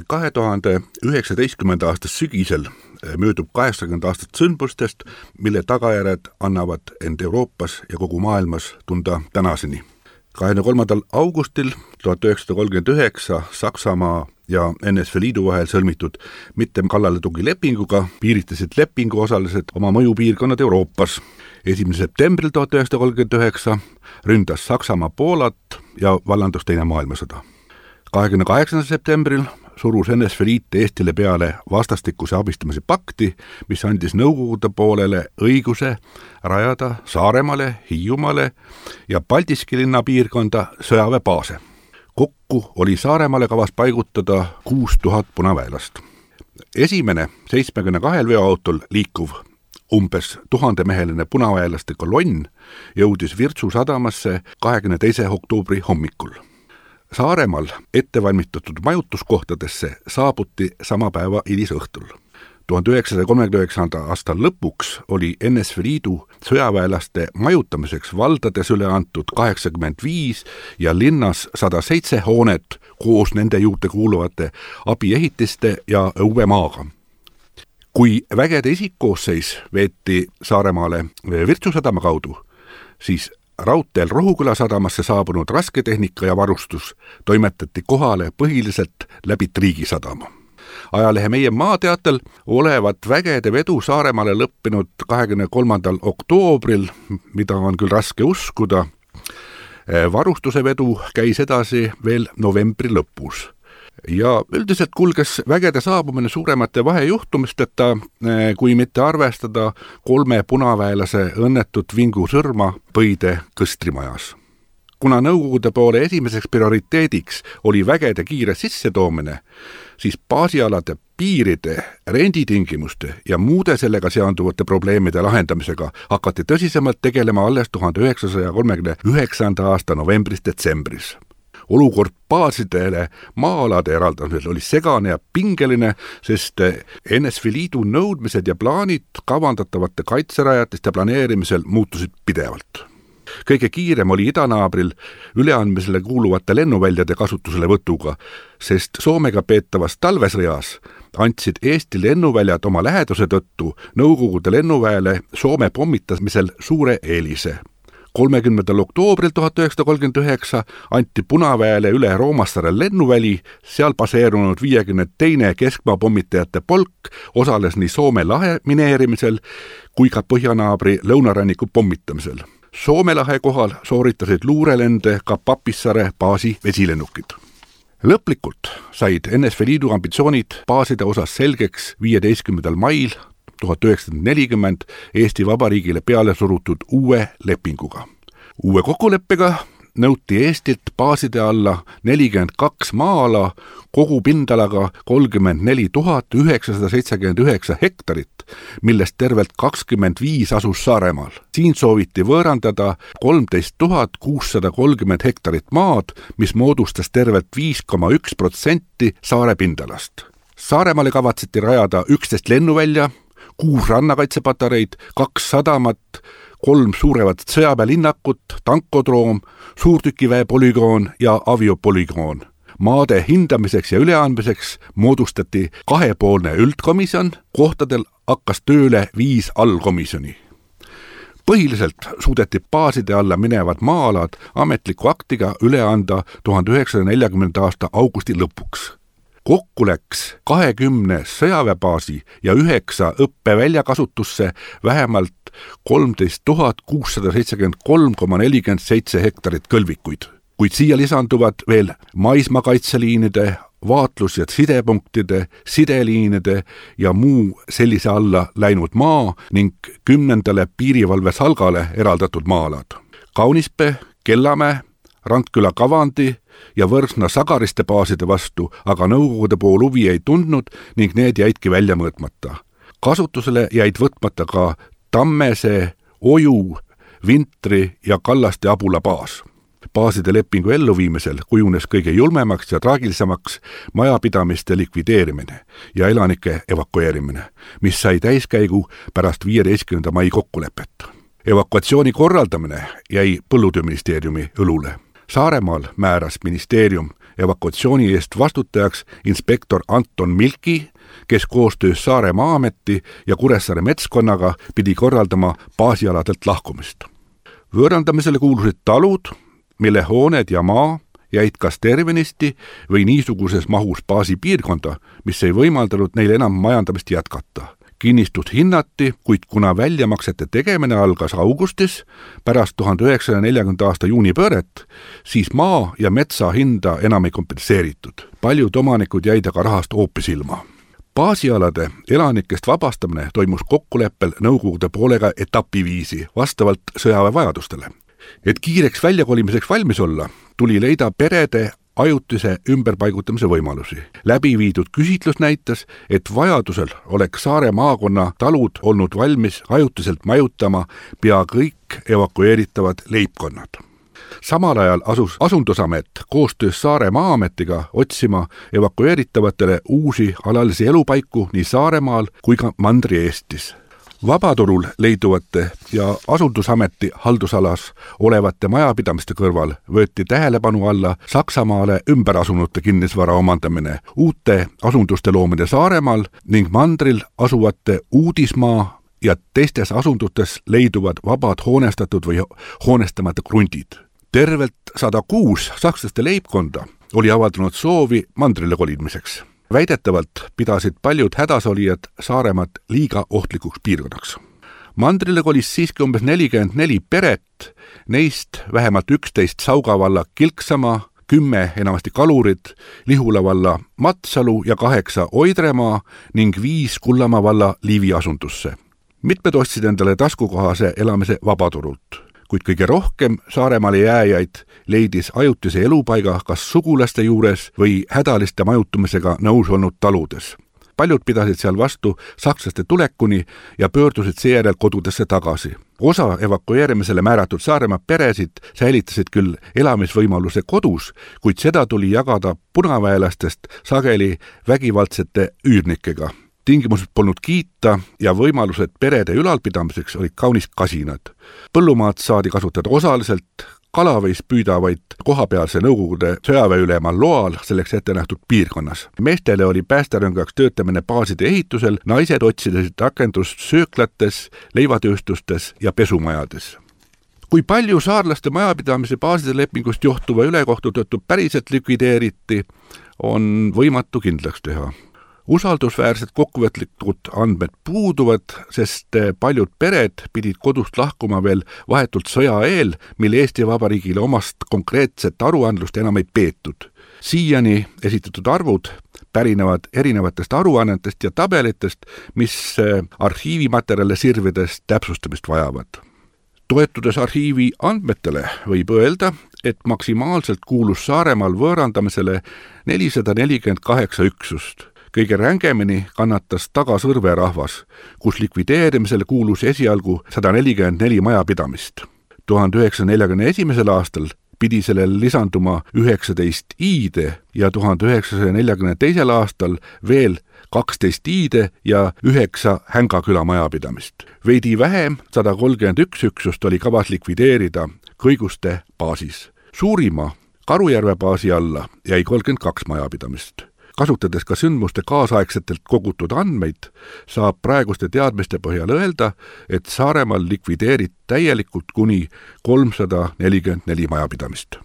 2019. aasta sügisel möödub 80 aastat sündmustest, mille tagajärjed annavad end Euroopas ja kogu maailmas tunda tänaseni. 23. augustil 1939 Saksamaa ja NSV Liidu vahel sõlmitud mittekallaletungilepinguga piiritlesid lepingu osalised oma mõjupiirkonnad Euroopas. 1. septembril 1939 ründas Saksamaa Poolat ja vallandus Teine maailmasõda. 28. septembril surus NSV Liit Eestile peale vastastikuse abistamise pakti, mis andis Nõukogude poolele õiguse rajada Saaremaale, Hiiumaale ja Paldiski linna piirkonda sõjaväebaase. Kokku oli Saaremaale kavas paigutada 6000 punaväelast. Esimene 72 veoautol liikuv umbes 1000-meheline punaväelaste kolonn jõudis Virtsu sadamasse 22. oktoobri hommikul. Saaremaal ettevalmistatud majutuskohtadesse saabuti sama päeva hilisõhtul. 1939. aasta lõpuks oli NSV Liidu sõjaväelaste majutamiseks valdades üle antud 85 ja linnas 107 hoonet koos nende juurde kuuluvate abiehitiste ja õuemaaga. Kui vägede isikkoosseis veeti Saaremaale Virtsu sadama kaudu, siis raudteel Rohuküla sadamasse saabunud rasketehnika ja varustus toimetati kohale põhiliselt läbi Triigi sadama. Ajalehe Meie Maateatel olevat vägede vedu Saaremaale lõppenud 23. oktoobril, mida on küll raske uskuda. Varustuse vedu käis edasi veel novembri lõpus. Ja üldiselt kulges vägede saabumine suuremate vahejuhtumisteta, kui mitte arvestada 3 punaväelase õnnetut vingusõrma Põide Kõstrimajas. Kuna Nõukogude poole esimeseks prioriteediks oli vägede kiire sissetoomine, siis baasialade piiride, renditingimuste ja muude sellega seonduvate probleemide lahendamisega hakati tõsisemalt tegelema alles 1939. aasta novembris-detsembris. Olukord baasidele maa-alade eraldamisel oli segane ja pingeline, sest NSV Liidu nõudmised ja plaanid kavandatavate kaitserajatiste planeerimisel muutusid pidevalt. Kõige kiirem oli idanaabril üleandmisele kuuluvate lennuväljade kasutusele võtuga, sest Soomega peetavas talvesõjas andsid Eesti lennuväljad oma läheduse tõttu Nõukogude lennuväele Soome pommitamisel suure eelise. 30. oktoobril 1939 anti Punaväele üle Roomassaare lennuväli, seal baseerunud 52. keskmaa pommitajate polk osales nii Soome lahe mineerimisel kui ka põhjanaabri lõunaranniku pommitamisel. Soome lahe kohal sooritasid luurelende ka Papissaare baasi vesilennukid. Lõplikult said NSV Liidu ambitsioonid baaside osas selgeks 15. mail 1940 Eesti Vabariigile peale surutud uue lepinguga. Uue kokkuleppega nõuti Eestilt baaside alla 42 maa-ala kogu pindalaga 34 979 hektarit, millest tervelt 25 asus Saaremaal. Siin sooviti võõrandada 13 630 hektarit maad, mis moodustas tervelt 5,1% saare pindalast. Saaremaale kavatseti rajada 11 lennuvälja, 6 rannakaitsepatareid, 2 sadamat, 3 suurevat sõjaväelinnakut, tankodroom, suurtükiväe polügoon ja aviopolügoon. Maade hindamiseks ja üleandmiseks moodustati 2-poolne üldkomisjon, kohtadel hakkas tööle 5 allkomisjoni. Põhiliselt suudeti baaside alla minevad maa-alad ametliku aktiga üle anda 1940. aasta augusti lõpuks. Kokku läks 20 sõjaväebaasi ja 9 õppevälja kasutusse vähemalt 13 673,47 hektarit kõlvikuid, kuid siia lisanduvad veel maismaakaitseliinide, vaatlus- ja sidepunktide, sideliinide ja muu sellise alla läinud maa ning 10. piirivalve salgale eraldatud maa-alad. Kaunispää, Kellamäe, Randküla kavandi ja Võrsna Sagariste baaside vastu aga Nõukogude pool huvi ei tundnud ning need jäidki välja mõõtmata. Kasutusele jäid võtmata ka Tammesee, Oju, Vintri ja Kallaste Abula baas. Baaside lepingu elluviimisel kujunes kõige julmemaks ja traagilisemaks majapidamiste likvideerimine ja elanike evakueerimine, mis sai täiskäigu pärast 15. mai kokkulepet. Evakuatsiooni korraldamine jäi Põllutööministeeriumi õlule. Saaremaal määras ministeerium evakuatsiooni eest vastutajaks inspektor Anton Milki, kes koostöös Saare Maa-ameti ja Kuressaare metskonnaga pidi korraldama baasialadelt lahkumist. Võõrandamisele kuulusid talud, mille hooned ja maa jäid kas tervenisti või niisuguses mahus baasipiirkonda, mis ei võimaldanud neil enam majandamist jätkata. Kinnistust hinnati, kuid kuna väljamaksete tegemine algas augustis pärast 1940. aasta juunipööret, siis maa ja metsa hinda enam ei kompenseeritud. Paljud omanikud jäid aga rahast hoopis ilma. Baasialade elanikest vabastamine toimus kokkuleppel Nõukogude poolega etapiviisi vastavalt sõjaväe vajadustele. Et kiireks väljakolimiseks valmis olla, tuli leida perede ajutise ümberpaigutamise võimalusi. Läbi viidud küsitlus näitas, et vajadusel oleks Saare maakonna talud olnud valmis ajutiselt majutama pea kõik evakueeritavad leibkonnad. Samal ajal asus Asundusamet koostöös Saare Maa-ametiga otsima evakueeritavatele uusi alalisi elupaiku nii Saaremaal kui ka Mandri-Eestis. Vabaturul leiduvate ja Asundusameti haldusalas olevate majapidamiste kõrval võeti tähelepanu alla Saksamaale ümberasunute kinnisvara omandamine, uute asunduste loomine Saaremaal ning mandril asuvate Uudismaa ja teistes asundutes leiduvad vabad hoonestatud või hoonestamata krundid. Tervelt 106 sakslaste leibkonda oli avaldanud soovi mandrile kolimiseks. Väidetavalt pidasid paljud hädasolijad Saaremaad liiga ohtlikuks piirkonnaks. Mandrile kolis siiski umbes 44 peret, neist vähemalt 11 Sauga valla Kilksamaa, 10 enamasti Kalurid, Lihula valla Matsalu ja 8 Oidremaa ning 5 Kullamaa valla Liivi asundusse. Mitmed ostsid endale taskukohase elamise vabaturult, kuid kõige rohkem Saaremaale jääjaid leidis ajutise elupaiga kas sugulaste juures või hädaliste majutumisega nõus olnud taludes. Paljud pidasid seal vastu sakslaste tulekuni ja pöördusid seejärel kodudesse tagasi. Osa evakueerimisele määratud Saaremaa peresid säilitasid küll elamisvõimaluse kodus, kuid seda tuli jagada punaväelastest sageli vägivaldsete üürnikega. Tingimused polnud kiita ja võimalused perede ülalpidamiseks olid kaunis kasinad. Põllumaad saadi kasutada osaliselt, kala võis püüda vaid kohapealse Nõukogude sõjaväeülema loal selleks ette nähtud piirkonnas. Meestele oli päästerõngaks töötamine baaside ehitusel, naised otsisid rakendust sööklates, leivatööstustes ja pesumajades. Kui palju saarlaste majapidamise baaside lepingust johtuva ülekohtu tõttu päriselt likvideeriti, on võimatu kindlaks teha. Usaldusväärsed kokkuvõtlikud andmed puuduvad, sest paljud pered pidid kodust lahkuma veel vahetult sõja eel, mil Eesti Vabariigile omast konkreetset aruandlust enam ei peetud. Siiani esitatud arvud pärinevad erinevatest aruannetest ja tabelitest, mis arhiivimaterjale sirvides täpsustamist vajavad. Toetudes arhiivi andmetele võib öelda, et maksimaalselt kuulus Saaremaal võõrandamisele 448 üksust. Kõige rängemini kannatas Tagasõrve rahvas, kus likvideerimisele kuulus esialgu 144 majapidamist. 1941. aastal pidi sellel lisanduma 19 iide ja 1942. aastal veel 12 iide ja 9 Hängaküla majapidamist. Veidi vähem 131 üksust oli kavas likvideerida Kõiguste baasis. Suurima Karujärve baasi alla jäi 32 majapidamist. Kasutades ka sündmuste kaasaegsetelt kogutud andmeid, saab praeguste teadmiste põhjal öelda, et Saaremaal likvideerid täielikult kuni 344 majapidamist.